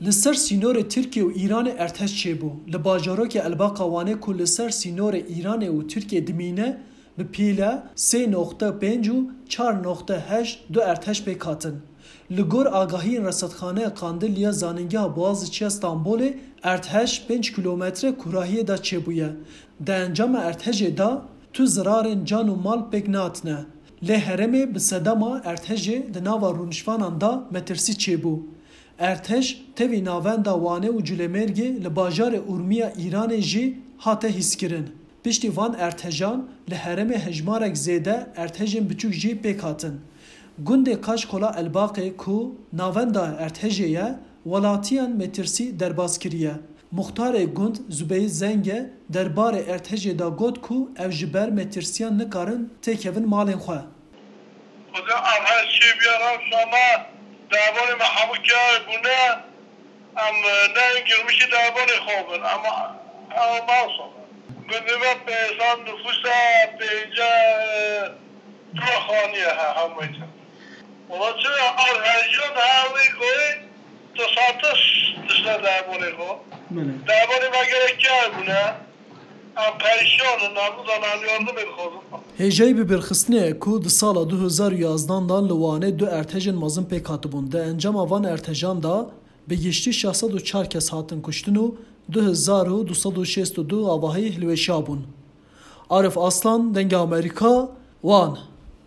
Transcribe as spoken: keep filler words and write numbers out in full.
Li ser sînorê Tirkiye û Îranê erdhej çêbû. Li bajarokê Elbaqa Wanê ku li ser sînorê Îranê û Tirkiye dimîne, bi pîle sê noqte pênc û çar noqte heşt du erdhej pêk hatin. Li gor agahiyên Resedxaneya Qandil ya Zanîngeha Boğaziçi ya Stenbolê, erdhej pênc kîlometre kûrahiyê de çêbûye. Di encama erdhejê de tu zirarên can û mal pêk nehatine. Lê herêmê bi sedema erdhejê di nava rûniştvanan de metirsî çêbû. Erdhej tevî navenda Wanê û Culemêrgê li bajarê Urmiya Îranê jî hate hîskirin. Piştî van erdhejan li herêmê hejmarek zêde erdhejên biçûk jî pêk hatin. Gundê Kaşkola Elbaqê ku navenda erdhejê ye, welatiyan metirsî derbas kiriye. Muxtarê gund Zubeyî Zenge derbarê erdhejê de got ku ew ji ber metirsiyan nikarin têkevin malên xwe. Xwedê ev her çê bîya rewşa me, derbarê me hemû kiyayê bûne, em, e, neyên girmişî derbarê xwe bin, em, e, ew mewsa. Gundê me pênc sed nifûs e, pênce, e, dua xaniye he, hemû. Wala çi ev hejiyan her wê goyê, tu satiş dişne derbarê xwe. Belê. Derbarê me gerek kiyayê bûne. Em perîşan in, em nizanin, em yardimê dixwazin. Hêjayî bibîrxistinê ye ku di sala du hezar û yazdan de li Wanê du erdhejên mezin pêk hatibûn. Di encama van erdhejan de bi giştî şeş sed û çar kes hatin kuştin û du hezar û du sed û şêst û du avahî hilweşiya bûn. Arif Aslan, Dengê Amerîka, Wan.